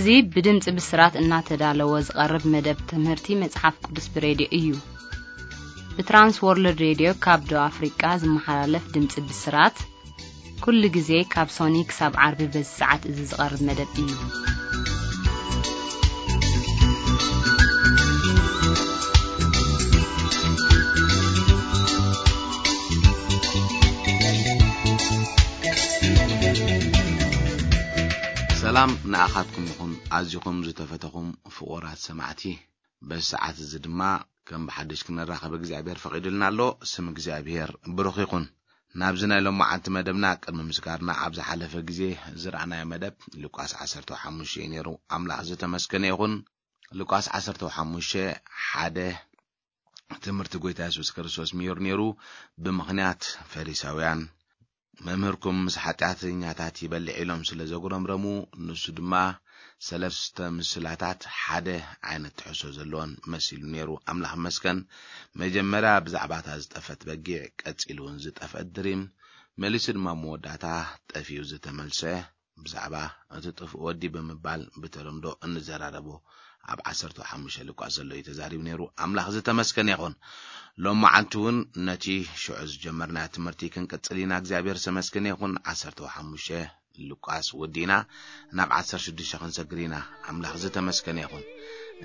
እዚ ብድምጺ ብስራት እናተዳለወ ዝቐርብ መደብ ትምህርቲ መጽሓፍ ቅዱስ ብሬድዮ እዩ። ብትራንስ ወርልድ ሬድዮ ካብ ደቡብ ኣፍሪቃ ዝመሓላለፍ ድምጺ ብስራት፣ ኩሉ ግዜ ካብ ሶኒ ክሳብ ዓርቢ በዚ ሰዓት እዚ ዝቐርብ መደብ እዩ። ሰላም ንኣኻትኩም ይኹን፣ ኣዚኹም ዝተፈተኹም ፍቑራት ሰማዕቲ። በዚ ሰዓት እዚ ድማ ከም ብሓድሽ ክንራኸብ እግዚኣብሔር ፈቒዱልና ኣሎ። ስም እግዚኣብሔር ብሩኽ ይኹን። ናብዚ ናይ ሎማዓንቲ መደብና ቅድሚ ምስጋርና፣ ኣብ ዝሓለፈ ግዜ ዝረኣናዮ መደብ ሉቃስ ዓሰርተ ሓሙሽተ እዩ ነይሩ። ኣምላኽ ዝተመስገነ ይኹን። ሉቃስ ዓሰርተ ሓሙሽተ ሓደ ትምህርቲ ጐይታ የሱስ ክርስቶስ ምሂሩ ነይሩ። ብምኽንያት ፈሪሳውያን፣ "መምህርኩም ምስ ሓጢኣተኛታት ይበልዕ" ኢሎም ስለ ዘጉረምረሙ፣ ንሱ ድማ ሰለስተ ምስላታት ሓደ ዓይነት ትሕዝቶ ዘለዎን መሲሉ ነይሩ። ኣምላኽ ይመስገን። መጀመርያ ብዛዕባ እታ ዝጠፈት በጊዕ፣ ቀጺሉ እውን ዝጠፍአት ድሪም፣ መሊሱ ድማ መወዳእታ ጠፊኡ ዝተመልሰ፣ ብዛዕባ እቲ ጥፉእ ወዲ ብምባል ብተለምዶ እንዘራረቦ ኣብ ዓሰርተ ሓሙሽተ ሉቃስ ዘሎ እዩ ተዛሪቡ ነይሩ። ኣምላኽ ዝተመስገነ ይኹን። ሎም መዓልቲ እውን ነቲ ሽዑ ዝጀመርናዮ ትምህርቲ ክንቅጽል ኢና። እግዚኣብሔር ዝተመስገነ ይኹን። ዓሰርተ ሓሙሽተ ሉቃስ ወዲእና ናብ ዓሰርተ ሽዱሽተ ክንሰግር ኢና። ኣምላኽ ዝተመስገነ ይኹን።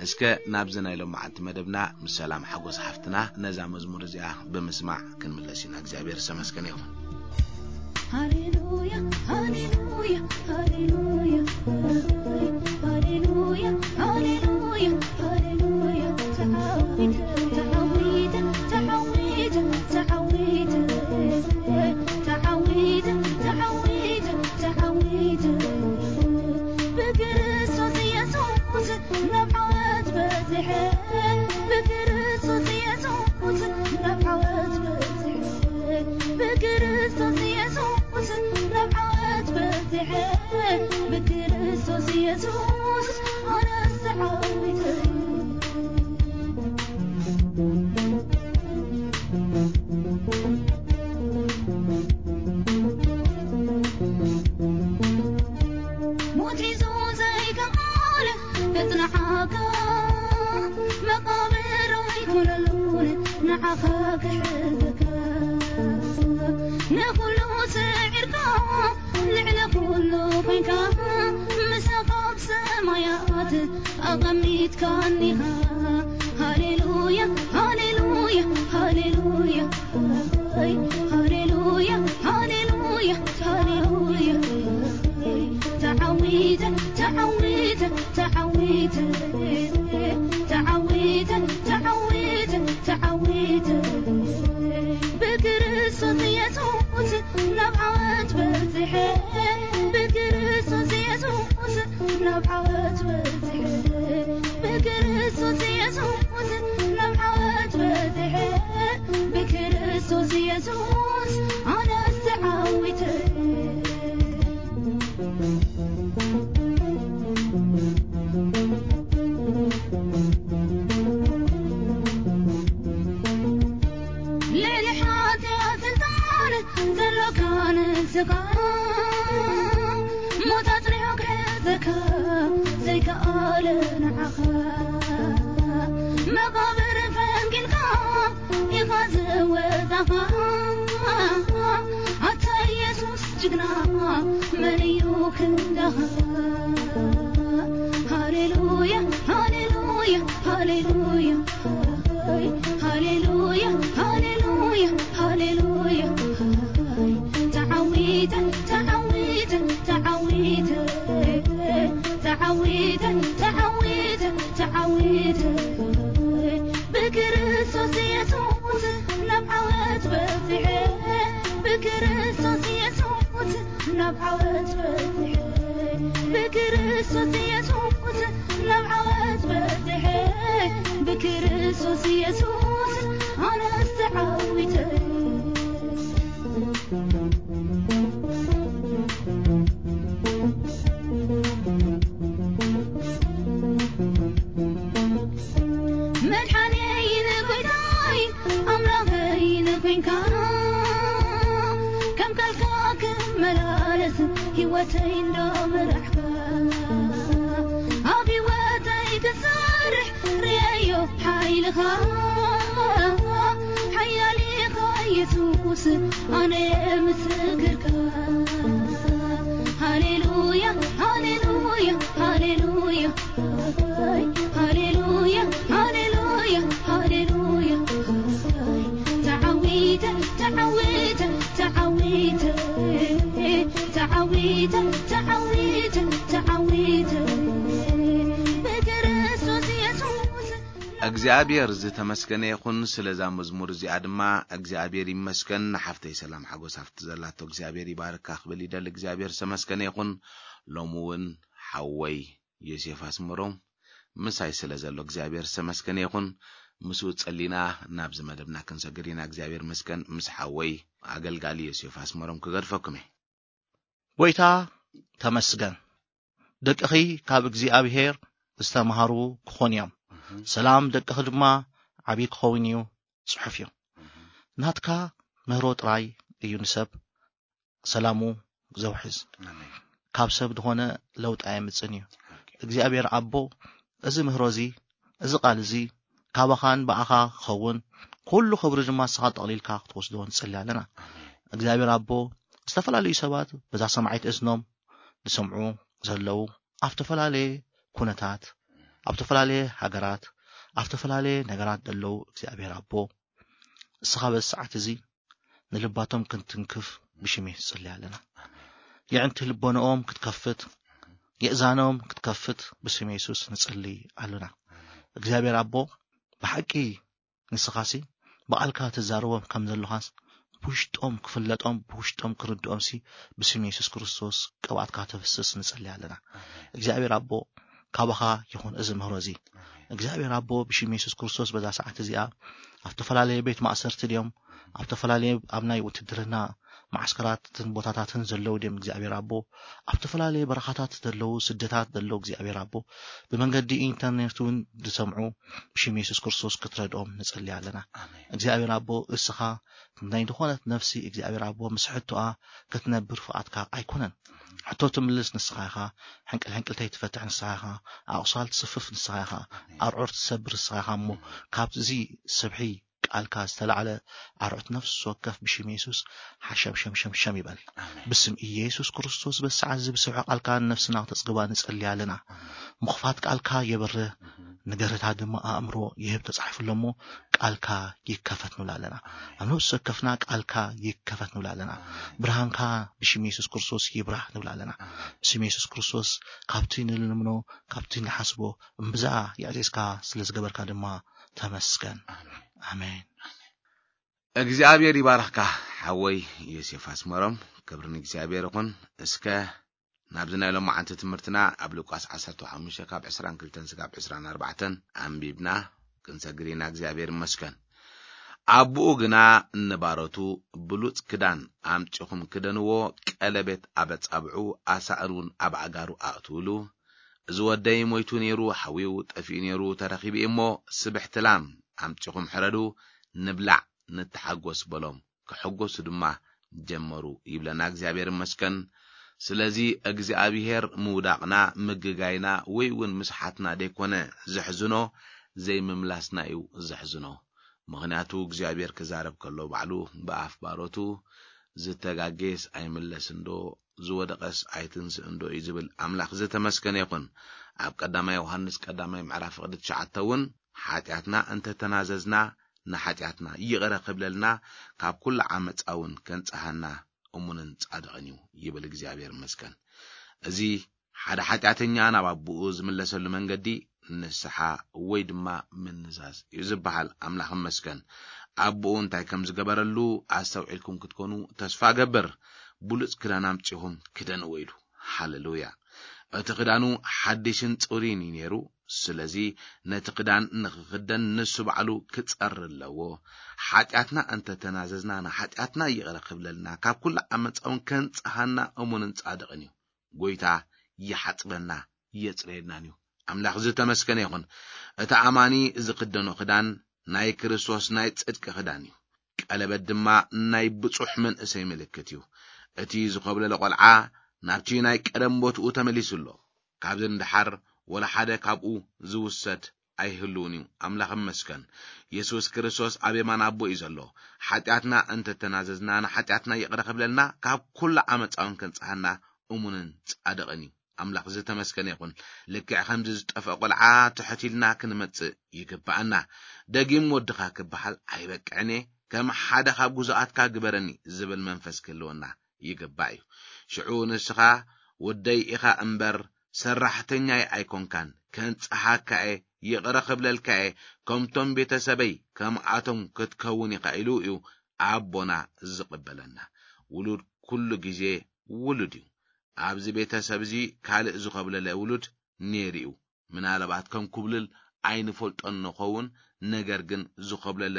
እስከ ናብዚ ናይ ሎም መዓልቲ መደብና ምስ ሰላም ሓጎስ ሓፍትና ነዛ መዝሙር እዚኣ ብምስማዕ ክንምለስ ኢና። እግዚኣብሔር ዝተመስገነ ይኹን። ሃሌሉያ፣ ሃሌሉያ፣ ሃሌሉያ፣ ሃሌሉያ፣ ሃሌሉያ፣ ሃሌሉያ። ተዓዊተ፣ ተዓዊተ፣ ተዓዊተ፣ ተዓዊተ፣ ተዓዊተ፣ ተዓዊተ፣ ተዓዊተ። ብክርስቶስ ኢየሱስ ናብ ዓወት በጺሐ፣ ብክርስቶስ ኢየሱስ ናብ ዓወት በጺሐ፣ ብክርስቶስ ኢየሱስ ናብ ዓወት በጺሐ፣ ብክርስቶስ ኢየሱስ ኣነስ ተዓዊተ። ሞት ሒዙ ዘይከኣል ክጽንዓካ፣ መቓብር ኣይኮነሉን ንዓኻ ክሕዘካ። ንኹሉ ስዒርካ፣ ልዕሊ ኩሉ ኮይንካ፣ ምሳኻ ኣብ ሰማያት ኣቐሚጥካኒኻ። ሃሌሉያ፣ ሃሌሉያ፣ ሃሌሉያ፣ ሃሌሉያ፣ ሃሌሉያ፣ ሃሌሉያ። ተዓዊተ፣ ተዓዊተ፣ ተዓዊተ፣ ተዓዊተ፣ ተዓዊተ፣ ተዓዊተ። ብክርስቶስ ኢየሱስ ናብ ዓወት በጺሐ፣ ብክርስቶስ ኢየሱስ ናብ ዓወት በጺሐ፣ ብክርስቶስ ኢየሱስ ናብ ዓወት በጺሐ፣ ብክርስቶስ ኢየሱስ ኣነስ ተዓዊተ። ልዕሊ ሓጢኣት ስልጣን ዘሎካ ንስኻ፣ ሞት ኣጽኒሑ ክሕዘካ ዘይከኣለ ንዓኻ። መቓብር ፈንቂልካ ኢኻ ዝወጻኻ፣ ኣታ ኢየሱስ ጅግና መን እዩ ክንዳኻ? ሃሌሉያ፣ ሃሌሉያ፣ ሃሌሉያ፣ ሃሌሉያ፣ ሃሌሉያ፣ ሃሌሉያ። ተዓዊተ፣ ተዓዊተ፣ ተዓዊተ፣ ተዓዊተ፣ ተዓዊተ፣ ተዓዊተ። ብክርስቶስ ኢየሱስ ናብ ዓወት በጺሐ፣ ብክርስቶስ ኢየሱስ ናብ ዓወት በጺሐ፣ ብክርስቶስ ኢየሱስ ናብ ዓወት በጺሐ፣ ብክርስቶስ ኢየሱስ ኣነስ ተዓዊተ። መድሓኒየይን ጎይታይ ኣምላኸይን ኮይንካ፣ ከም ቃልካ ክመላለስ ህይወተይ እንዳመራሕካ፣ ሓያል ኢኻ የሱስ፣ ኣነ ምስክርካ። ሃሌሉያ፣ ሃሌሉያ፣ ሃሌሉያ፣ ሃሌሉያ፣ ሃሌሉያ፣ ሃሌሉያ። ተዓዊተ፣ ተዓዊተ፣ ተዓዊተ፣ ተዓዊተ፣ ተዓዊተ፣ ተዓዊተ። ብክርስቶስ የሱስ። እግዚኣብሔር ዝተመስገነ ይኹን። ስለዛ መዝሙር እዚኣ ድማ እግዚኣብሔር ይመስገን። ንሓፍተይ ሰላም ሓጎስ ኣብቲ ዘላቶ እግዚኣብሔር ይባርካ ክብል ይደሊ። እግዚኣብሔር ዝተመስገነ ይኹን። ሎሚ እውን ሓወይ ዮሴፍ ኣስመሮም ምሳይ ስለ ዘሎ እግዚኣብሔር ዝተመስገነ ይኹን። ምስኡ ጸሊና ናብዚ መደብና ክንሰግር ኢና። እግዚኣብሔር ይመስገን። ምስ ሓወይ ኣገልጋሊ ዮሴፍ ኣስመሮም ክገድፈኩም እየ። ጎይታ ተመስገን። ደቅኺ ካብ እግዚኣብሔር ዝተማሃሩ ክኾኑ እዮም። ሰላም ደቅኺ ድማ ዓብዪ ክኸውን እዩ። ጽሑፍ እዩ። ናትካ ምህሮ ጥራይ እዩ ንሰብ ሰላሙ ዘውሕዝ። ኣሜን። ካብ ሰብ ዝኾነ ለውጢ ኣየምጽእን እዩ። ኦኬ። እግዚኣብሔር ኣቦ፣ እዚ ምህሮ እዚ፣ እዚ ቃል እዚ ካባኻን ብኣኻ ክኸውን፣ ኩሉ ክብሪ ድማ ንስኻ ጠቕሊልካ ክትወስዶ ንጸሊ ኣለና። ኣሜን። እግዚኣብሔር ኣቦ፣ ዝተፈላለዩ ሰባት በዛ ሰማዒት እዝኖም ዝሰምዑ ዘለዉ፣ ኣብ ዝተፈላለየ ኩነታት፣ ኣብ ዝተፈላለየ ሃገራት፣ ኣብ ዝተፈላለየ ነገራት ዘለዉ እግዚኣብሔር ኣቦ፣ እስኻ በዚ ሰዓት እዚ ንልባቶም ክንትንክፍ ብሽሜ ንጽሊ ኣለና። የዕንቲ ልቦንኦም ክትከፍት፣ የእዛኖም ክትከፍት ብስም የሱስ ንጽሊ ኣለና። እግዚኣብሔር ኣቦ፣ ብሓቂ ንስኻሲ ብቓልካ ትዛረቦም ከም ዘለኻስ ብውሽጦም ክፍለጦም፣ ብውሽጦም ክርድኦምሲ ብስም የሱስ ክርስቶስ ቅብኣትካ ተፍስስ ንጽሊ ኣለና። እግዚኣብሔር ኣቦ፣ ካባኻ ይኹን እዚ ምህሮ እዚ። እግዚኣብሔር ኣቦ፣ ብሽም የሱስ ክርስቶስ በዛ ሰዓት እዚኣ ኣብ ዝተፈላለየ ቤት ማእሰርቲ ድዮም፣ ኣብ ዝተፈላለየ ኣብ ናይ ውትድርና ማዓስከራትን ቦታታትን ዘለዉ ድዮም እግዚኣብሔር ኣቦ፣ ኣብ ዝተፈላለየ በረኻታት ዘለዉ፣ ስደታት ዘለዉ እግዚኣብሔር ኣቦ፣ ብመንገዲ ኢንተርኔት እውን ዝሰምዑ ብሽም የሱስ ክርስቶስ ክትረድኦም ንጸሊ ኣለና። ኣሜን። እግዚኣብሔር ኣቦ፣ እስኻ ናይ ዝኾነት ነፍሲ እግዚኣብሔር ኣቦ ምስ ሕቶኣ ክትነብር ፍቓድካ ኣይኮነን። ሕቶ ትምልስ ንስኻ ኢኻ፣ ሕንቅል ሕንቅልተይ ትፈትሕ ንስኻ ኢኻ፣ ኣቑሳል ትስፍፍ ንስኻ ኢኻ፣ ኣርዑር ትሰብር ንስኻ ኢኻ እሞ፣ ካብዚ ስብሒ ቃልካ ዝተላዕለ ኣርዑት ነፍሲ ወከፍ ብሽም የሱስ ሓሸም ሸም ሸም ሸም ይበል። ኣሜን። ብስም ኢየሱስ ክርስቶስ በዚ ሰዓት እዚ ብስብሒ ቃልካ ንነፍስና ክተጽግባ ንጸሊ ኣለና። ኣሜን። ምኽፋት ቃልካ የብርህ፣ እህ። ንገረታ ድማ ኣእምሮ ይህብ ተጻሒፉ ኣሎ እሞ፣ ቃልካ ይከፈት ንብል ኣለና። ኣሜን። ኣብ ነፍሲ ወከፍና ቃልካ ይከፈት ንብል ኣለና። ኣሜን። ብርሃንካ ብሽም የሱስ ክርስቶስ ይብራህ ንብል ኣለና። ኣሜን። ብስም የሱስ ክርስቶስ ካብቲ ንልምኖ፣ ካብቲ ንሓስቦ እምብዛ የዕዚዝካ ስለ ዝገበርካ ድማ ተመስገን። ኣሜን። ኣሜን። እግዚኣብሔር ይባርኽካ ሓወይ ዮሴፍ ኣስመሮም። ክብሪ ንእግዚኣብሔር ይኹን። እስከ ናብዚ ናይ ሎማዓንቲ ትምህርትና ኣብ ሉቃስ ዓሰርተ ሓሙሽተ ካብ ዕስራን ክልተን ስጋብ ዕስራን ኣርባዕተን ኣንቢብና ክንሰግር ኢና። እግዚኣብሔር ይመስገን። ኣቦኡ ግና ንባሮቱ ብሉጽ ክዳን ኣምጺኹም ክደንዎ፣ ቀለቤት ኣብ ኣጻብዑ፣ ኣሳእን እውን ኣብ ኣእጋሩ ኣእትውሉ። እዚ ወደይ ሞይቱ ነይሩ፣ ሓዊኡ ጠፊኡ ነይሩ፣ ተረኺቡ እዩ እሞ፣ ስብሕቲ ላም ኣምጺኹም ሕረዱ፣ ንብላዕ፣ ንተሓጎስ በሎም። ክሕጎሱ ድማ ጀመሩ ይብለና። እግዚኣብሔር ይመስገን። ስለዚ እግዚኣብሔር ምውዳቕና፣ ምግጋይና ወይ እውን ምስሓትና ደይኮነ ዘሕዝኖ፣ ዘይምምላስና እዩ ዘሕዝኖ። ምኽንያቱ እግዚኣብሔር ክዛረብ ከሎ ባዕሉ ብኣፍ ባሮቱ ዝተጋጌስ ኣይምለስን ዶ፣ ዝወደቐስ ኣይትንስእን ዶ እዩ ዝብል ኣምላኽ ዝተመስገነ ይኹን። ኣብ ቀዳማይ ዮሃንስ ቀዳማይ ምዕራፍ ፍቕዲ ትሽዓተ እውን ሓጢኣትና እንተተናዘዝና ንሓጢኣትና ይቕረ ክብለልና ካብ ኩሉ ዓመፃ እውን ከንጽሃና እሙንን ጻድቕን እዩ ይብል እግዚኣብሔር ይመስገን። እዚ ሓደ ሓጢኣተኛ ናብ ኣቦኡ ዝምለሰሉ መንገዲ ንስሓ ወይ ድማ ምንዛዝ እዩ ዝበሃል። ኣምላኽ ይመስገን። ኣቦኡ እንታይ ከም ዝገበረሉ ኣስተውዒልኩም ክትኮኑ ተስፋ እገብር። ብሉጽ ክዳን ኣምጺኹም ክደንዎ ኢሉ። ሃሌሉያ። እቲ ክዳኑ ሓድሽን ጽሩይን እዩ ነይሩ። ስለዚ ነቲ ክዳን ንኽኽደን ንሱ ባዕሉ ክጸሪ ኣለዎ። ሓጢኣትና እንተተናዘዝና ንሓጢኣትና ይቕረ ክብለልና ካብ ኩሉ ዓመጻ እውን ከንጽሃና እሙንን ጻድቕን እዩ። ጎይታ ይሓጽበና የጽረየናን እዩ። ኣምላኽ ዝተመስገነ ይኹን። እቲ ኣማኒ ዝኽደኖ ክዳን ናይ ክርስቶስ ናይ ጽድቂ ክዳን እዩ። ቀለበት ድማ ናይ ብጹሕ መንእሰይ ምልክት እዩ። እቲ ዝኾብለለ ቆልዓ ናብቲ ናይ ቀደም ቦትኡ ተመሊሱ ኣሎ። ካብዚ ንደሓር ወላ ሓደ ካብኡ ዝውሰድ ኣይህልውን እዩ። ኣምላኽ ይመስገን። የሱስ ክርስቶስ ኣብ የማን ኣቦ እዩ ዘሎ። ሓጢኣትና እንተተናዘዝና፣ ንሓጢኣትና ይቕረ ክብለልና፣ ካብ ኩሉ ዓመፃውን ከንጽሃና እሙንን ጻድቕን እዩ። ኣምላኽ ዝተመስገነ ይኹን። ልክዕ ከምዚ ዝጠፍአ ቆልዓ ትሕት ኢልና ክንመጽእ ይግብኣና። ደጊም ወድኻ ክበሃል ኣይበቅዕን እየ፣ ከም ሓደ ካብ ግዙኣትካ ግበረኒ ዝብል መንፈስ ክህልወና ይግባእ እዩ። ሽዑ ንስኻ ወደይ ኢኻ እምበር ሰራሕተኛይ ኣይኮንካን፣ ከንጽሃካ እየ፣ ይቕረ ክብለልካ እየ፣ ከምቶም ቤተሰበይ ከምኣቶም ክትከውን ኢኻ ኢሉ እዩ ኣቦና ዝቕበለና። ውሉድ ኩሉ ግዜ ውሉድ እዩ። ኣብዚ ቤተሰብ እዚ ካልእ ዝኾብለለ ውሉድ ነይሩ እዩ። ምናልባት ከም ኩብልል ኣይንፈልጦን ንኸውን፣ ነገር ግን ዝኾብለለ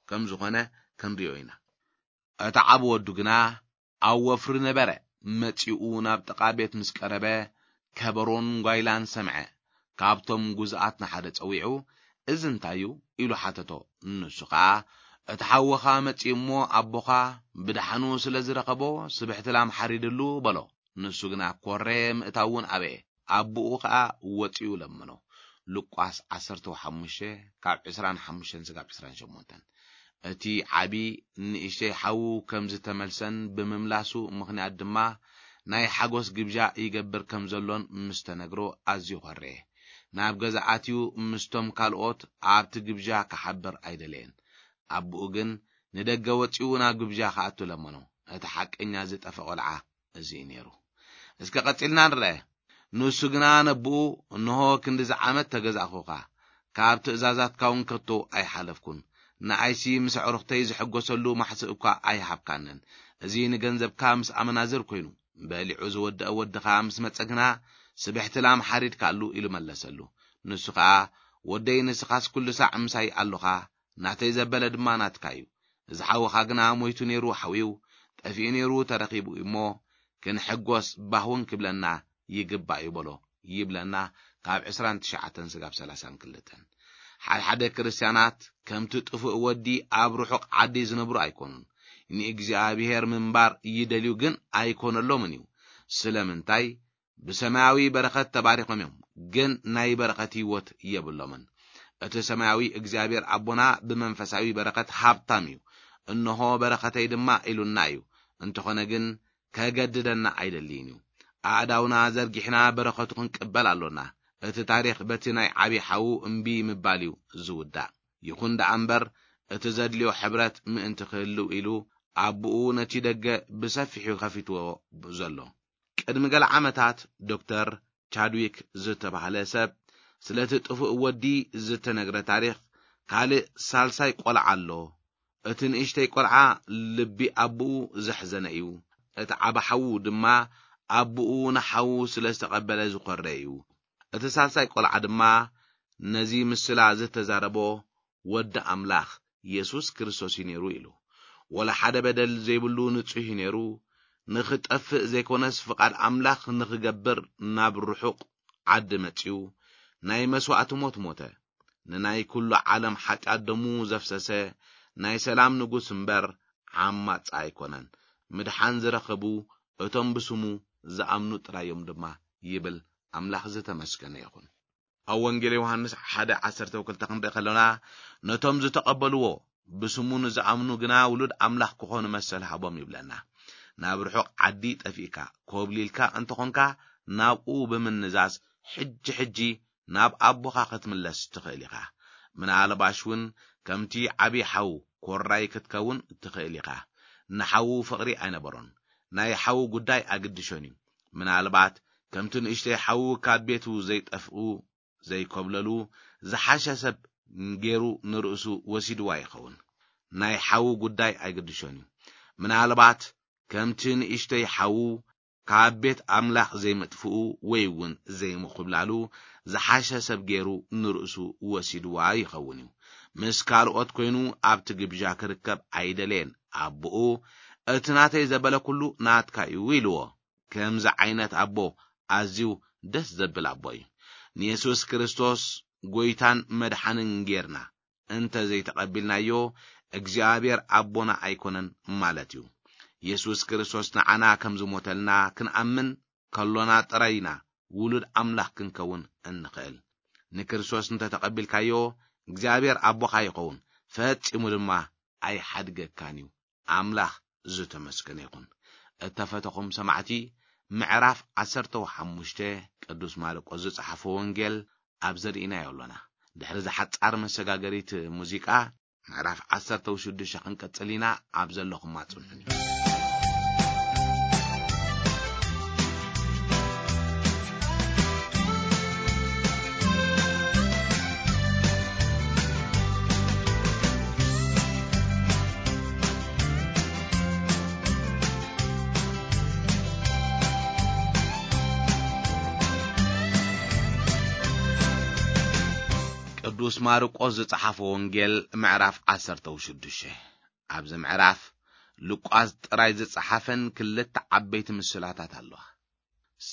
ከም ዝኾነ ክንሪኦ ኢና። እቲ ዓቢ ወዱ ግና ኣብ ወፍሪ ነበረ። መጺኡ ናብ ጥቓ ቤት ምስ ቀረበ፣ ከበሮን ጓይላን ሰምዐ። ካብቶም ግዙኣት ንሓደ ጸዊዑ፣ "እዚ እንታይ እዩ?" ኢሉ ሓተቶ። ንሱ ኸኣ፣ "እቲ ሓውኻ መጺኡ እሞ፣ ኣቦኻ ብደሓኑ ስለ ዝረኸቦ፣ ስብሕቲ ላም ሓሪድሉ" በሎ። ንሱ ግና ኮረ፣ ምእታው እውን ኣበየ። ኣቦኡ ኸኣ ወጺኡ ለመኖ። ሉቃስ ዓሰርተ ሓሙሽተ ካብ ዕስራን ሓሙሽተን ስጋብ ዕስራን ሸሞንተን። እቲ ዓቢ ንእሽተይ ሓዉ ከም ዝተመልሰን ብምምላሱ ምኽንያት ድማ ናይ ሓጎስ ግብዣ ይገብር ከም ዘሎን ምስ ተነግሮ ኣዝዩ ኾረየ። ናብ ገዛ ኣትዩ ምስቶም ካልኦት ኣብቲ ግብዣ ክሓብር ኣይደለየን። ኣቦኡ ግን ንደገ ወጺኡ ናብ ግብዣ ክኣቱ ለመኖ። እቲ ሓቀኛ ዝጠፈ ቆልዓ እዚ እዩ ነይሩ። እስከ ቀጺልና ንርአ። ንሱ ግና ነቦኡ፣ "እንሆ ክንድዚ ዓመት ተገዛእኹኻ፣ ካብ ትእዛዛትካ እውን ከቶ ኣይሓለፍኩን። ንኣይሲ ምስ ኣዕሩኽተይ ዝሕጎሰሉ ማሕስእ እኳ ኣይሃብካንን። እዚ ንገንዘብካ ምስ ኣመናዝር ኮይኑ፣ በሊዑ ዝወደአ ወድኻ ምስ መጸ ግና፣ ስብሕቲ ላም ሓሪድካሉ" ኢሉ መለሰሉ። ንሱ ኸኣ፣ "ወደይ ንስኻስ ኩሉ ሳዕ ምሳይ ኣሎኻ፣ ናተይ ዘበለ ድማ ናትካ እዩ። እዚ ሓውኻ ግና ሞይቱ ነይሩ ሓውዩ፣ ጠፊኡ ነይሩ ተረኺቡ እሞ፣ ክንሕጎስ ባህ እውን ክብለና ይግባእ እዩ" በሎ። ይብለና ካብ ዕስራን ትሽዓተን ስጋብ ሰላሳን ክልተን። ሓድሓደ ክርስትያናት ከምቲ ጥፉእ ወዲ ኣብ ርሑቕ ዓዲ ዝነብሩ ኣይኮኑን። ንእግዚኣብሔር ምንባር ይደልዩ ግን ኣይኮነሎምን እዩ። ስለምንታይ? ብሰማያዊ በረኸት ተባሪኾም እዮም፣ ግን ናይ በረኸት ህይወት የብሎምን። እቲ ሰማያዊ እግዚኣብሔር ኣቦና ብመንፈሳዊ በረኸት ሃብታም እዩ። "እንሆ በረኸተይ ድማ" ኢሉና እዩ። እንተኾነ ግን ከገድደና ኣይደልይን እዩ። ኣእዳውና ዘርጊሕና በረኸቱ ክንቅበል ኣሎና። እቲ ታሪኽ በቲ ናይ ዓቢ ሓዉ እምቢ ምባል እዩ ዝውዳእ። ይኹን ደኣ እምበር፣ እቲ ዘድልዮ ሕብረት ምእንቲ ክህልው ኢሉ ኣቦኡ ነቲ ደገ ብሰፊሑ ከፊትዎ ዘሎ። ቅድሚ ገለ ዓመታት ዶክተር ቻድዊክ ዝተባህለ ሰብ ስለቲ ጥፉእ ወዲ ዝተነግረ ታሪኽ፣ "ካልእ ሳልሳይ ቆልዓ ኣሎ። እቲ ንእሽተይ ቆልዓ ልቢ ኣቦኡ ዘሕዘነ እዩ። እቲ ዓቢ ሓዉ ድማ ኣቦኡ ንሓዉ ስለ ዝተቐበለ ዝኾረ እዩ። እቲ ሳልሳይ ቆልዓ ድማ ነዚ ምስላ ዝተዛረቦ ወዲ ኣምላኽ የሱስ ክርስቶስ እዩ ነይሩ" ኢሉ። ወላ ሓደ በደል ዘይብሉ ንጹህ እዩ ነይሩ። ንኽጠፍእ ዘይኮነስ ፍቓድ ኣምላኽ ንኽገብር ናብ ርሑቕ ዓዲ መጺኡ ናይ መስዋእቲ ሞት ሞተ። ንናይ ኩሉ ዓለም ሓጢኣት ደሙ ዘፍሰሰ ናይ ሰላም ንጉስ እምበር ዓማጺ ኣይኮነን። ምድሓን ዝረኸቡ እቶም ብስሙ ዝኣምኑ ጥራይ እዮም ድማ ይብል። ኣምላኽ ዝተመስገነ ይኹን። ኣብ ወንጌል ዮሃንስ ሓደ ዓሰርተ ክልተ ክንርኢ ከለና፣ "ነቶም ዝተቐበልዎ ብስሙ ንዝኣምኑ ግና ውሉድ ኣምላኽ ክኾኑ መሰል ሃቦም" ይብለና። ናብ ርሑቕ ዓዲ ጠፊእካ፣ ኮብሊልካ እንተኾንካ፣ ናብኡ ብምንዛዝ ሕጂ ሕጂ ናብ ኣቦኻ ክትምለስ ትኽእል ኢኻ። ምናልባሽ እውን ከምቲ ዓቢ ሓው ኮራይ ክትከውን ትኽእል ኢኻ። ንሓዉ ፍቕሪ ኣይነበሮን። ናይ ሓዉ ጉዳይ ኣግድሾን እዩ። ምናልባት ከምቲ ንእሽተይ ሓዉ ካብ ቤቱ ዘይጠፍኡ ዘይኮብለሉ ዝሓሸ ሰብ ገይሩ ንርእሱ ወሲድዋ ይኸውን። ናይ ሓዉ ጉዳይ ኣይግድሾን እዩ። ምናልባት ከምቲ ንእሽተይ ሓዉ ካብ ቤት ኣምላኽ ዘይምጥፍኡ ወይ እውን ዘይምኹብላሉ ዝሓሸ ሰብ ገይሩ ንርእሱ ወሲድዋ ይኸውን እዩ። ምስ ካልኦት ኮይኑ ኣብቲ ግብዣ ክርከብ ኣይደለየን። ኣቦኡ፣ "እቲ ናተይ ዘበለ ኩሉ ናትካ እዩ" ኢልዎ። ከምዚ ዓይነት ኣቦ ኣዝዩ ደስ ዘብል ኣቦ እዩ። ንየሱስ ክርስቶስ ጎይታን መድሓንን ጌርና እንተ ዘይተቐቢልናዮ፣ እግዚኣብሔር ኣቦና ኣይኮነን ማለት እዩ። የሱስ ክርስቶስ ንዓና ከም ዝሞተልና ክንኣምን ከሎና ጥራይ ኢና ውሉድ ኣምላኽ ክንከውን እንኽእል። ንክርስቶስ እንተተቐቢልካዮ እግዚኣብሔር ኣቦኻ ይኸውን፣ ፈጺሙ ድማ ኣይሓድገካን እዩ። ኣምላኽ ዝተመስገነ ይኹን። እተፈተኹም ሰማዕቲ፣ ምዕራፍ ዓሰርተ ሓሙሽተ ቅዱስ ማርቆስ ዝጸሓፎ ወንጌል ኣብ ዘርኢናዮ ኣሎና። ድሕሪ ዝሓጻር መሰጋገሪት ሙዚቃ፣ ምዕራፍ ዓሰርተ ሽዱሽተ ክንቀጽል ኢና። ኣብ ዘለኹም ኣጽንሑኒ። ቅዱስ ማርቆስ ዝጸሓፎ ወንጌል ምዕራፍ ዓሰርተ ሽዱሽተ። ኣብዚ ምዕራፍ ሉቃስ ጥራይ ዝጸሓፈን ክልተ ዓበይቲ ምስላታት ኣለዋ።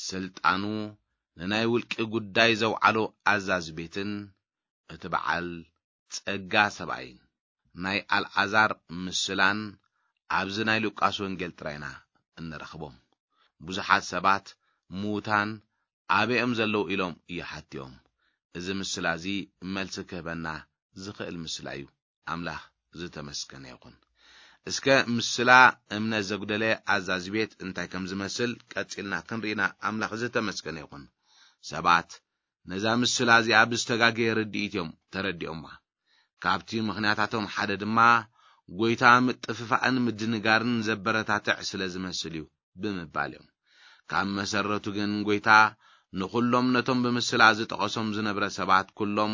ስልጣኑ ንናይ ውልቂ ጉዳይ ዘውዓሎ ኣዛዚ ቤትን እቲ በዓል ጸጋ ሰብኣይን ናይ ኣልዓዛር ምስላን ኣብዚ ናይ ሉቃስ ወንጌል ጥራይና እንረኽቦም። ብዙሓት ሰባት ምዉታን ኣበይ እዮም ዘለዉ ኢሎም ይሓትዮም። እዚ ምስላ እዚ መልሲ ክህበና ዝኽእል ምስላ እዩ። ኣምላኽ ዝተመስገነ ይኹን። እስከ ምስላ እምነት ዘጉደለ ኣዛዚ ቤት እንታይ ከም ዝመስል ቀጺልና ክንርኢና ኣምላኽ ዝተመስገነ ይኹን። ሰባት ነዛ ምስላ እዚኣ ብዝተጋገየ ርድኢት እዮም ተረዲኦማ። ካብቲ ምኽንያታቶም ሓደ ድማ ጎይታ ምጥፍፋእን ምድንጋርን ዘበረታትዕ ስለ ዝመስል እዩ ብምባል እዮም። ካብ መሰረቱ ግን ጎይታ ንኹሎም ነቶም ብምስላ ዝጠቐሶም ዝነብረ ሰባት ኩሎም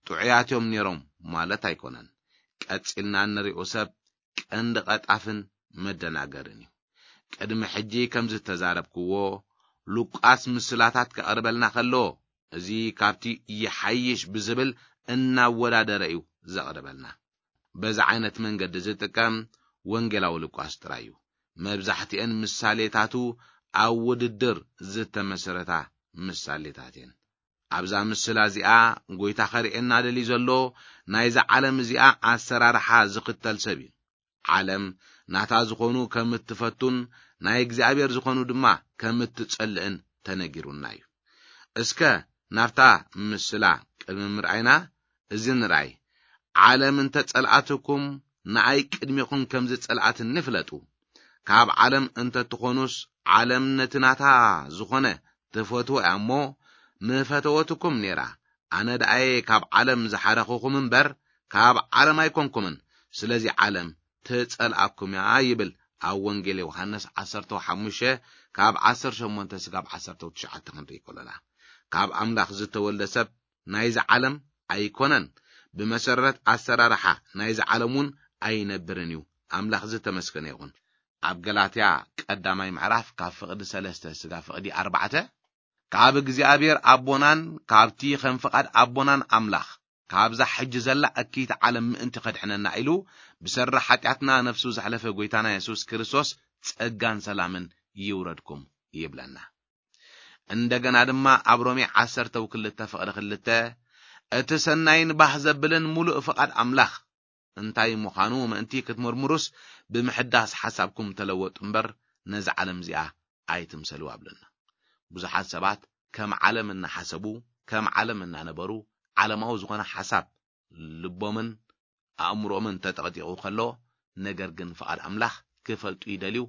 ጥዑያት እዮም ነይሮም ማለት ኣይኮነን። ቀጺልና እንሪኦ ሰብ ቀንዲ ቀጣፍን መደናገርን እዩ። ቅድሚ ሕጂ ከም ዝተዛረብክዎ ሉቃስ ምስላታት ከቕርበልና ከሎ እዚ ካብቲ ይሓይሽ ብዝብል እናወዳደረ እዩ ዘቕርበልና። በዚ ዓይነት መንገዲ ዝጥቀም ወንጌላዊ ሉቃስ ጥራይ እዩ። መብዛሕትኤን ምሳሌታቱ ኣብ ውድድር ዝተመስረታ ምሳሌታት እየን። ኣብዛ ምስላ እዚኣ ጎይታ ኸርእየና ደልዩ ዘሎ ናይዛ ዓለም እዚኣ ኣሰራርሓ ዝኽተል ሰብ እዩ። ዓለም ናታ ዝኾኑ ከም እትፈቱን ናይ እግዚኣብሔር ዝኾኑ ድማ ከም እትጸልእን ተነጊሩና እዩ። እስከ ናብታ ምስላ ቅድሚ ምርኣይና እዚ ንርኣይ። ዓለም እንተ ጸልኣትኩም ንኣይ ቅድሚኹም ከም ዝጸልኣትኒ ፍለጡ። ካብ ዓለም እንተ ትኾኑስ ዓለም ነቲ ናታ ዝኾነ ትፈትዎ እያ እሞ ምፈተወትኩም ነይራ። ኣነ ደኣየ ካብ ዓለም ዝሓረኹኹም እምበር ካብ ዓለም ኣይኮንኩምን። ስለዚ ዓለም ትጸልኣኩም እያ ይብል ኣብ ወንጌል ዮሃንስ ዓሰርተ ሓሙሽተ ካብ ዓሰርተ ሸሞንተ ስጋብ ዓሰርተ ትሽዓተ ክንርኢ ከሎና። ካብ ኣምላኽ ዝተወልደ ሰብ ናይዚ ዓለም ኣይኮነን። ብመሰረት ኣሰራርሓ ናይዚ ዓለም እውን ኣይነብርን እዩ። ኣምላኽ ዝተመስገነ ይኹን። ኣብ ገላትያ ቀዳማይ ምዕራፍ ካብ ፍቕዲ ሰለስተ ስጋ ፍቕዲ ኣርባዕተ ካብ እግዚኣብሔር ኣቦናን ካብቲ ከም ፍቓድ ኣቦናን ኣምላኽ ካብዛ ሕጂ ዘላ እኪይቲ ዓለም ምእንቲ ከድሕነና ኢሉ ብሰሪ ሓጢኣትና ነፍሱ ዘሕለፈ ጎይታና የሱስ ክርስቶስ ጸጋን ሰላምን ይውረድኩም ይብለና። እንደገና ድማ ኣብ ሮሜ ዓሰርተ ክልተ ፍቕዲ ክልተ እቲ ሰናይን ባህ ዘብልን ሙሉእ ፍቓድ ኣምላኽ እንታይ ምዃኑ ምእንቲ ክትምርምሩስ ብምሕዳስ ሓሳብኩም ተለወጡ እምበር ነዚ ዓለም እዚኣ ኣይትምሰልዋ ብለና። ብዙሓት ሰባት ከም ዓለም እናሓሰቡ ከም ዓለም እናነበሩ ዓለማዊ ዝኾነ ሓሳብ ልቦምን ኣእምሮኦምን ተጠቕጢቑ ከሎ ነገር ግን ፍቓድ ኣምላኽ ክፈልጡ ይደልዩ።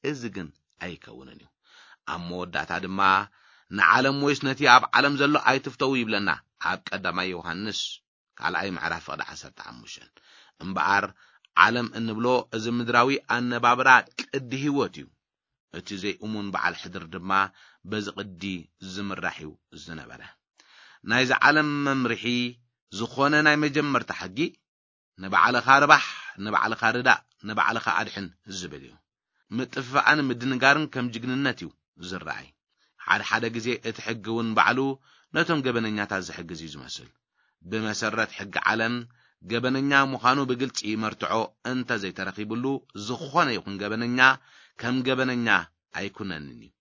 እዚ ግን ኣይከውንን እዩ። ኣብ መወዳእታ ድማ ንዓለም ወይስ ነቲ ኣብ ዓለም ዘሎ ኣይትፍተዉ ይብለና ኣብ ቀዳማይ ዮሃንስ ካልኣይ ምዕራፍ ፍቕዲ ዓሰርተ ሓሙሽተ። እምበኣር ዓለም እንብሎ እዚ ምድራዊ ኣነባብራ ቅዲ ህይወት እዩ። እቲ ዘይእሙን በዓል ሕድር ድማ በዚ ቅዲ ዝምራሕ እዩ ዝነበረ። ናይዚ ዓለም መምርሒ ዝኾነ ናይ መጀመርታ ሕጊ ንባዕልኻ ርባሕ፣ ንባዕልኻ ርዳእ፣ ንባዕልኻ ኣድሕን ዝብል እዩ። ምጥፍፋእን ምድንጋርን ከም ጅግንነት እዩ ዝረኣይ። ሓደ ሓደ ግዜ እቲ ሕጊ እውን ባዕሉ ነቶም ገበነኛታት ዝሕግዝ እዩ ዝመስል። ብመሰረት ሕጊ ዓለም ገበነኛ ምዃኑ ብግልጺ መርትዖ እንተ ዘይተረኺብሉ ዝኾነ ይኹን ገበነኛ ከም ገበነኛ ኣይኩነንን እዩ።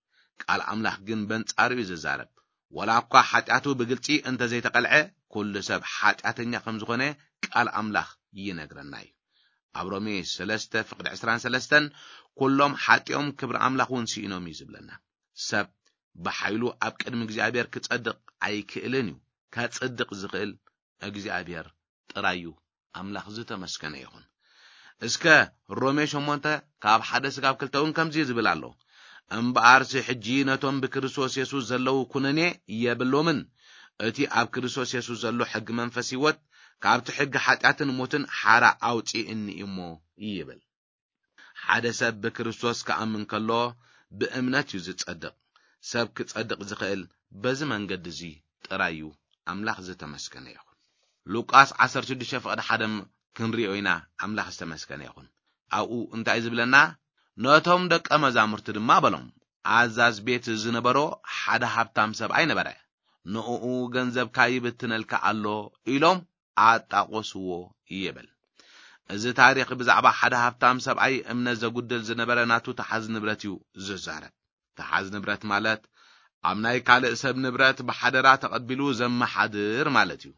ቃል ኣምላኽ ግን በንጻሩ እዩ ዝዛረብ። ወላ እኳ ሓጢኣቱ ብግልጺ እንተ ዘይተቐልዐ ኩሉ ሰብ ሓጢኣተኛ ከም ዝኾነ ቃል ኣምላኽ ይነግረና እዩ። ኣብ ሮሜ ሰለስተ ፍቕዲ ዕስራን ሰለስተን ኩሎም ሓጢኦም ክብሪ ኣምላኽ እውን ስኢኖም እዩ ዝብለና። ሰብ ብሓይሉ ኣብ ቅድሚ እግዚኣብሔር ክጸድቕ ኣይክእልን እዩ። ከጽድቕ ዝኽእል እግዚኣብሔር ጥራይ እዩ። ኣምላኽ ዝተመስገነ ይኹን። እስከ ሮሜ ሸሞንተ ካብ ሓደ ስጋብ ክልተ እውን ከምዚ ዝብል ኣሎ። እምበኣርሲ ሕጂ ነቶም ብክርስቶስ የሱስ ዘለዉ ኩነኔ የብሎምን። እቲ ኣብ ክርስቶስ የሱስ ዘሎ ሕጊ መንፈስ ህይወት ካብቲ ሕጊ ሓጢኣትን ሞትን ሓራ ኣውፂእኒ እሞ ይብል። ሓደ ሰብ ብክርስቶስ ክኣምን ከሎ ብእምነት እዩ ዝጸድቕ። ሰብ ክጸድቕ ዝኽእል በዚ መንገዲ እዚ ጥራይ እዩ። ኣምላኽ ዝተመስገነ ይኹን። ሉቃስ ዓሰርተ ሽዱሽተ ፍቕዲ ሓደ ክንሪኦ ኢና። ኣምላኽ ዝተመስገነ ይኹን። ኣብኡ እንታይ እዩ ዝብለና? ነቶም ደቀ መዛሙርቲ ድማ በሎም፣ ኣዛዝ ቤት ዝነበሮ ሓደ ሃብታም ሰብኣይ ነበረ። ንእኡ ገንዘብካ ይብትነልካ ኣሎ ኢሎም ኣጣቆስዎ ይብል። እዚ ታሪኽ ብዛዕባ ሓደ ሃብታም ሰብኣይ እምነት ዘጉድል ዝነበረ ናቱ ተሓዝ ንብረት እዩ ዝዛረብ። ተሓዝ ንብረት ማለት ኣብ ናይ ካልእ ሰብ ንብረት ብሓደራ ተቐቢሉ ዘመሓድር ማለት እዩ።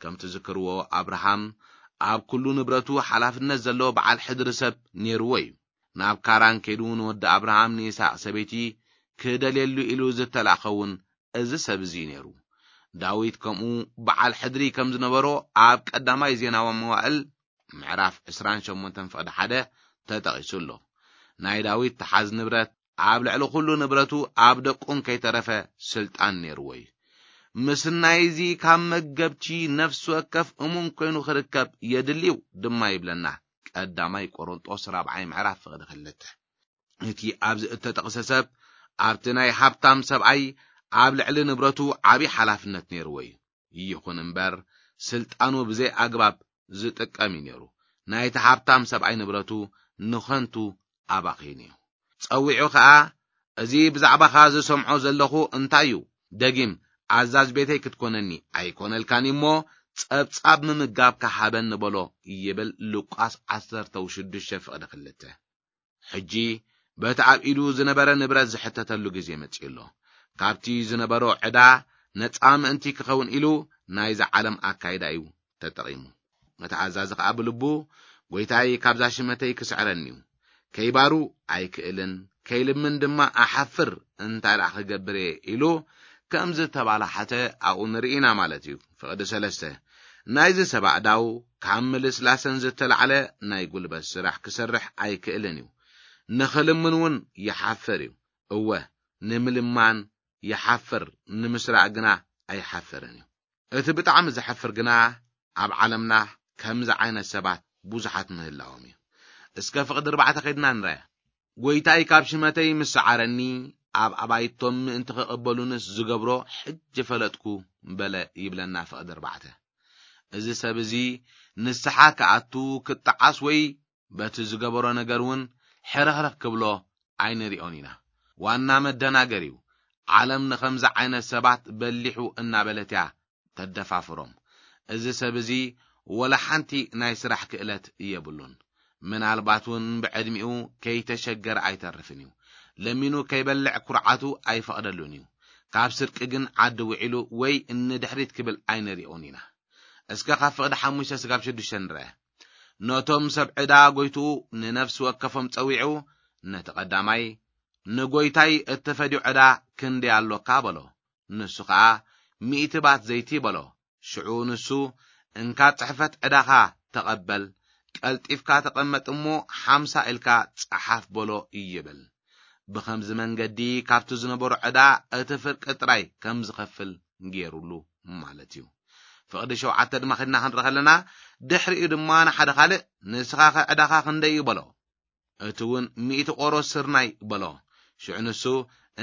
ከም ትዝክርዎ ኣብርሃም ኣብ ኩሉ ንብረቱ ሓላፍነት ዘለዎ በዓል ሕድሪ ሰብ ነይርዎ እዩ። ናብ ካራን ከይዱ ንወዲ ኣብርሃም ንይስሐቅ ሰበይቲ ክደልየሉ ኢሉ ዝተላእኸ እውን እዚ ሰብ እዚ እዩ ነይሩ። ዳዊት ከምኡ በዓል ሕድሪ ከም ዝነበሮ ኣብ ቀዳማይ ዜናዊ መዋእል ምዕራፍ ዕስራን ሸሞንተን ፍቕዲ ሓደ ተጠቒሱ ኣሎ። ናይ ዳዊት ተሓዝ ንብረት ኣብ ልዕሊ ኩሉ ንብረቱ ኣብ ደቁን ከይተረፈ ስልጣን ነይርዎ እዩ። ምስ ናይዚ ካብ መገብቲ ነፍሲ ወከፍ እሙን ኮይኑ ክርከብ የድልዩ ድማ ይብለና ቀዳማይ ቆሮንጦስ ራብዓይ ምዕራፍ ፍቕዲ ክልተ። እቲ ኣብዚ እተጠቕሰ ሰብ ኣብቲ ናይ ሃብታም ሰብኣይ ኣብ ልዕሊ ንብረቱ ዓቢ ሓላፍነት ነይርዎ እዩ። ይኹን እምበር ስልጣኑ ብዘይ ኣግባብ ዝጥቀም እዩ ነይሩ። ናይቲ ሃብታም ሰብኣይ ንብረቱ ንኸንቱ ኣባኺኑ እዩ። ጸዊዑ ኸኣ፣ "እዚ ብዛዕባኻ ዝሰምዖ ዘለኹ እንታይ እዩ? ደጊም ኣዛዝ ቤተይ ክትኮነኒ ኣይኮነልካን እሞ ጸብጻብ ምምጋብካ ሃበኒ" በሎ ይብል ሉቃስ ዓሰርተ ሽዱሽተ ፍቕዲ ክልተ። ሕጂ በቲ ኣብ ኢዱ ዝነበረ ንብረት ዝሕተተሉ ግዜ መጺኡ ኣሎ። ካብቲ ዝነበሮ ዕዳ ነጻ ምእንቲ ክኸውን ኢሉ ናይዛ ዓለም ኣካይዳ እዩ ተጠቒሙ። እቲ ኣዛዚ ኸኣ ብልቡ፣ "ጐይታይ ካብዛ ሽመተይ ክስዕረኒ እዩ። ከይባሩ ኣይክእልን፣ ከይልምን ድማ ኣሓፍር፣ እንታይ ደኣ ክገብር እየ?" ኢሉ ከም ዝተባላሓተ ኣብኡ ንርኢ ኢና ማለት እዩ። ፍቕዲ ሰለስተ፣ ናይዚ ሰብ ኣእዳው ካብ ምልስላሰን ዝተላዕለ ናይ ጉልበት ስራሕ ክሰርሕ ኣይክእልን እዩ። ንኽልምን እውን ይሓፍር እዩ። እወ፣ ንምልማን ይሓፍር፣ ንምስራቕ ግና ኣይሓፍርን እዩ። እቲ ብጣዕሚ ዘሕፍር ግና ኣብ ዓለምና ከምዚ ዓይነት ሰባት ብዙሓት ምህላዎም እዩ። እስከ ፍቕዲ ኣርባዕተ ከይድና ንርኣ። "ጐይታይ ካብ ሽመተይ ምስ ሰዓረኒ፣ ኣብ ኣባይቶም ምእንቲ ክቕበሉንስ ዝገብሮ ሕጂ ፈለጥኩ" በለ ይብለና ፍቕዲ ኣርባዕተ። እዚ ሰብ እዚ ንስሓ ክኣቱ፣ ክጠዓስ ወይ በቲ ዝገበሮ ነገር እውን ሕርኽርኽ ክብሎ ኣይንሪኦን ኢና። ዋና መደናገር እዩ። ዓለም ንኸምዚ ዓይነት ሰባት በሊሑ እናበለት እያ ተደፋፍሮም። እዚ ሰብ እዚ ወላ ሓንቲ ናይ ስራሕ ክእለት የብሉን። ምናልባት እውን ብዕድሚኡ ከይተሸገረ ኣይተርፍን እዩ። ለሚኑ ከይበልዕ ኩርዓቱ ኣይፈቕደሉን እዩ። ካብ ስርቂ ግን ዓዲ ውዒሉ ወይ ንድሕሪት ክብል ኣይንሪኦን ኢና። እስከ ካብ ፍቕዲ ሓሙሽተ ስጋብ ሽዱሽተ ንርአ። ነቶም ሰብ ዕዳ ጐይትኡ ንነፍሲ ወከፎም ጸዊዑ፣ ነቲ ቀዳማይ፣ "ንጐይታይ እተፈድዮ ዕዳ ክንደይ ኣሎካ?" በሎ። ንሱ ኸኣ፣ "ሚእቲ ባት ዘይቲ" በሎ። ሽዑ ንሱ፣ "እንካ ጽሕፈት ዕዳኻ ተቐበል፣ ቀልጢፍካ ተቐመጥ እሞ ሓምሳ ኢልካ ጸሓፍ" በሎ ይብል። ብኸምዚ መንገዲ ካብቲ ዝነበሮ ዕዳ እቲ ፍርቂ ጥራይ ከም ዝኸፍል ገይሩሉ ማለት እዩ። ፍቕዲ ሸውዓተ ድማ ኺድና ክንርኢ ከለና፣ ድሕሪኡ ድማ ንሓደ ኻልእ፣ "ንስኻኸ ዕዳኻ ክንደይ እዩ?" በሎ። እቲ እውን፣ "ሚእቲ ቆሮስ ስርናይ" በሎ። ሽዑ ንሱ፣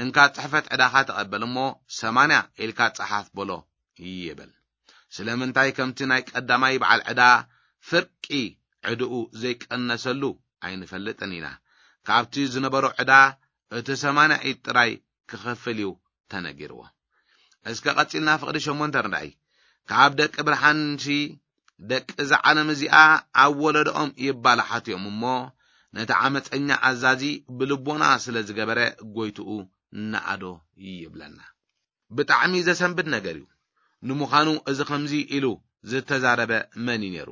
"እንካ ጽሕፈት ዕዳኻ ተቐበል እሞ ሰማንያ ኢልካ ጸሓፍ" በሎ ይብል። ስለምንታይ ከምቲ ናይ ቀዳማይ በዓል ዕዳ ፍርቂ ዕድኡ ዘይቀነሰሉ ኣይንፈልጥን ኢና። ካብቲ ዝነበሮ ዕዳ እቲ ሰማንያ ኢድ ጥራይ ክኸፍል እዩ ተነጊርዎ። እስከ ቀጺልና ፍቕዲ ሸሞንተ ንርኣይ። ካብ ደቂ ብርሃንሲ ደቂ እዛ ዓለም እዚኣ ኣብ ወለዶኦም ይባላሓት እዮም እሞ፣ ነቲ ዓመፀኛ ኣዛዚ ብልቦና ስለ ዝገበረ ጎይትኡ ነኣዶ ይብለና። ብጣዕሚ ዘሰንብድ ነገር እዩ። ንምዃኑ እዚ ከምዚ ኢሉ ዝተዛረበ መን እዩ ነይሩ?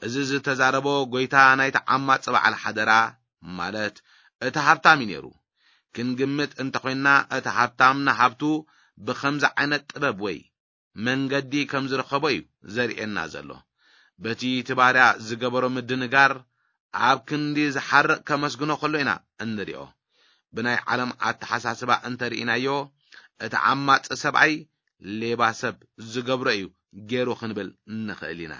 እዚ ዝተዛረቦ ጎይታ ናይቲ ዓማፂ በዓል ሓደራ፣ ማለት እቲ ሃብታም እዩ ነይሩ። ክንግምት እንተኾይንና፣ እቲ ሃብታም ንሃብቱ ብኸምዚ ዓይነት ጥበብ ወይ መንገዲ ከም ዝረኸቦ እዩ ዘርእየና ዘሎ። በቲ እቲ ባርያ ዝገበሮ ምድንጋር ኣብ ክንዲ ዝሓርቕ ከመስግኖ ከሎ ኢና እንሪኦ። ብናይ ዓለም ኣተሓሳስባ እንተርኢናዮ፣ እቲ ዓማጺ ሰብኣይ ሌባ ሰብ ዝገብሮ እዩ ገይሩ ክንብል ንኽእል ኢና።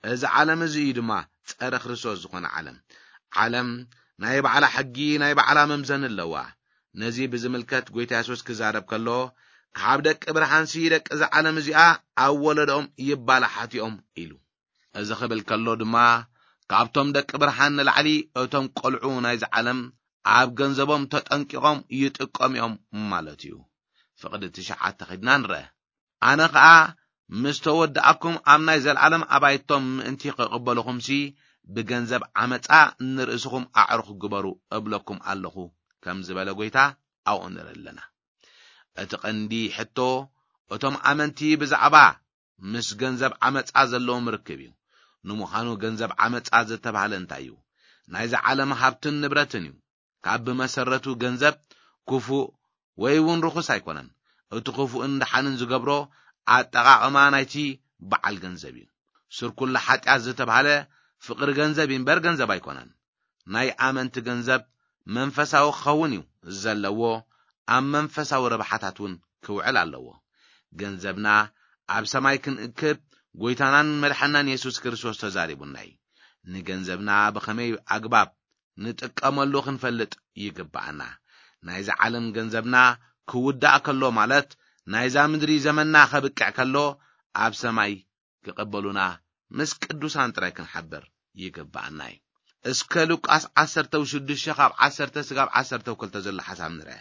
እዚ ዓለም እዚ እዩ ድማ ጸረ ክርስቶስ ዝኾነ ዓለም። ዓለም ናይ ባዕላ ሕጊ፣ ናይ ባዕላ መምዘኒ ኣለዋ። ነዚ ብዝምልከት ጎይታ የሱስ ክዛረብ ከሎ፣ ካብ ደቂ ብርሃንሲ ደቂ እዛ ዓለም እዚኣ ኣብ ወለዶኦም ይባላሓት እዮም ኢሉ። እዚ ክብል ከሎ ድማ፣ ካብቶም ደቂ ብርሃን ንላዕሊ እቶም ቆልዑ ናይዚ ዓለም ኣብ ገንዘቦም ተጠንቂቖም ይጥቀሙ እዮም ማለት እዩ። ፍቕዲ ትሽዓተ ኸድና ንርአ። ኣነ ኸኣ ምስ ተወድኣኩም ኣብ ናይ ዘለዓለም ኣባይቶም ምእንቲ ክቕበልኹምሲ፣ ብገንዘብ ዓመጻ ንርእስኹም ኣዕሩኽ ግበሩ እብለኩም ኣለኹ፣ ከም ዝበለ ጎይታ ኣብኡ ንርኢ ኣለና። እቲ ቀንዲ ሕቶ፣ እቶም ኣመንቲ ብዛዕባ ምስ ገንዘብ ዓመጻ ዘለዎም ርክብ እዩ። ንምዃኑ ገንዘብ ዓመጻ ዝተባህለ እንታይ እዩ? ናይዚ ዓለም ሃብትን ንብረትን እዩ። ካብ ብመሰረቱ ገንዘብ ክፉእ ወይ እውን ርኹስ ኣይኮነን። እቲ ክፉእን ደሓንን ዝገብሮ ኣጠቓቕማ ናይቲ በዓል ገንዘብ እዩ። ስርኩላ ሓጢኣት ዝተባህለ ፍቕሪ ገንዘብ እዩ እምበር ገንዘብ ኣይኮነን። ናይ ኣመንቲ ገንዘብ መንፈሳዊ ክኸውን እዩ ዘለዎ፣ ኣብ መንፈሳዊ ረብሓታት እውን ክውዕል ኣለዎ። ገንዘብና ኣብ ሰማይ ክንእክብ ጎይታናን መድሓናን የሱስ ክርስቶስ ተዛሪቡና እዩ። ንገንዘብና ብኸመይ ኣግባብ ንጥቀመሉ ክንፈልጥ ይግብኣና። ናይዛ ዓለም ገንዘብና ክውዳእ ከሎ፣ ማለት ናይዛ ምድሪ ዘመንና ከብቅዕ ከሎ፣ ኣብ ሰማይ ክቕበሉና ምስ ቅዱሳን ጥራይ ክንሓብር ይግብኣና እዩ። እስከ ሉቃስ ዓሰርተ ሽዱሽተ ካብ ዓሰርተ ስጋብ ዓሰርተ ክልተ ዘሎ ሓሳብ ንርአ።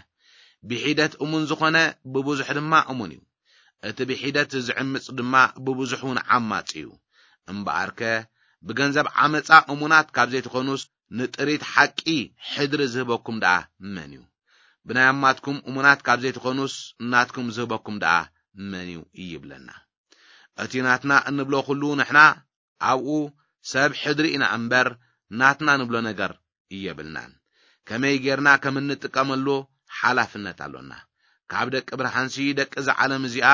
ብሒደት እሙን ዝኾነ ብብዙሕ ድማ እሙን እዩ። እቲ ብሒደት ዝዕምጽ ድማ ብብዙሕ እውን ዓማጽ እዩ። እምበኣርከ ብገንዘብ ዓመጻ እሙናት ካብ ዘይትኾኑስ፣ ንጥሪት ሓቂ ሕድሪ ዝህበኩም ደኣ መን እዩ? ብናይ ኣማትኩም እሙናት ካብ ዘይትኾኑስ፣ ናትኩም ዝህበኩም ደኣ መን እዩ? ይብለና። እቲ ናትና እንብሎ ኩሉ ንሕና ኣብኡ ሰብ ሕድሪ ኢና እምበር፣ ናትና ንብሎ ነገር የብልናን። ከመይ ጌርና ከም እንጥቀመሉ ሓላፍነት ኣሎና። ካብ ደቂ ብርሃንሲ ደቂ እዛ ዓለም እዚኣ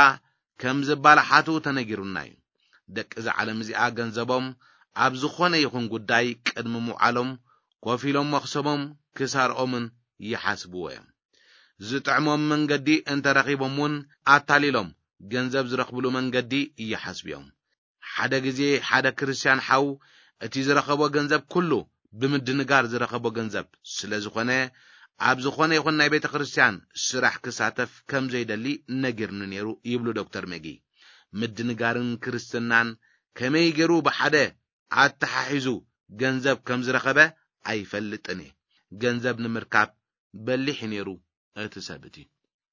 ከም ዝባላሓቱ ተነጊሩና እዩ። ደቂ እዛ ዓለም እዚኣ ገንዘቦም ኣብ ዝኾነ ይኹን ጉዳይ ቅድሚ ምውዓሎም ኮፍ ኢሎም መኽሰቦም ክሳርኦምን ይሓስብዎ እዮም። ዝጥዕሞም መንገዲ እንተረኺቦም እውን ኣታሊሎም ገንዘብ ዝረኽብሉ መንገዲ ይሓስቡ እዮም። ሓደ ግዜ ሓደ ክርስትያን ሓው እቲ ዝረኸቦ ገንዘብ ኩሉ ብምድንጋር ዝረኸቦ ገንዘብ ስለ ዝኾነ፣ ኣብ ዝኾነ ይኹን ናይ ቤተ ክርስትያን ስራሕ ክሳተፍ ከም ዘይደሊ ነጊርኒ ነይሩ ይብሉ ዶክተር መጊ። ምድንጋርን ክርስትናን ከመይ ገይሩ ብሓደ ኣተሓሒዙ ገንዘብ ከም ዝረኸበ ኣይፈልጥን እየ። ገንዘብ ንምርካብ በሊሕ ነይሩ እቲ ሰብ እቲ።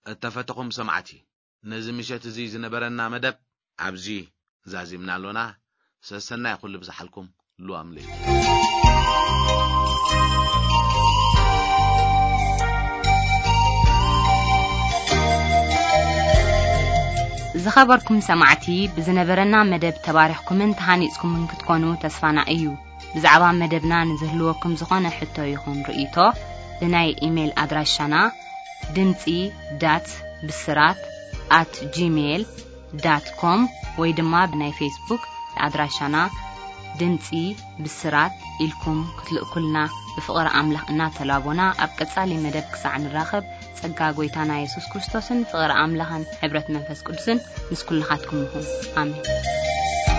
እተፈተኹም ሰማዕቲ፣ ነዚ ምሸት እዚ ዝነበረና መደብ ኣብዚ ዛዚምና ኣሎና። ሰሰናይ ኩሉ ብዝሓልኩም። ሉዋም ለይቲ። ዝኸበርኩም ሰማዕቲ፣ ብዝነበረና መደብ ተባሪኽኩምን ተሃኒጽኩምን ክትኮኑ ተስፋና እዩ። ብዛዕባ መደብና ንዝህልወኩም ዝኾነ ሕቶ ይኹን ርእይቶ፣ ብናይ ኢሜይል ኣድራሻና ድምጺ ዳት ብስራት ኣት ጂሜይል ዳት ኮም ወይ ድማ ብናይ ፌስቡክ ኣድራሻና ድምጺ ብስራት ኢልኩም ክትልእኩልና ብፍቕሪ ኣምላኽ እናተላቦና፣ ኣብ ቀጻሊ መደብ ክሳዕ ንራኸብ፣ ጸጋ ጎይታና የሱስ ክርስቶስን ፍቕሪ ኣምላኽን ሕብረት መንፈስ ቅዱስን ምስ ኩልኻትኩም ይኹን። ኣሜን።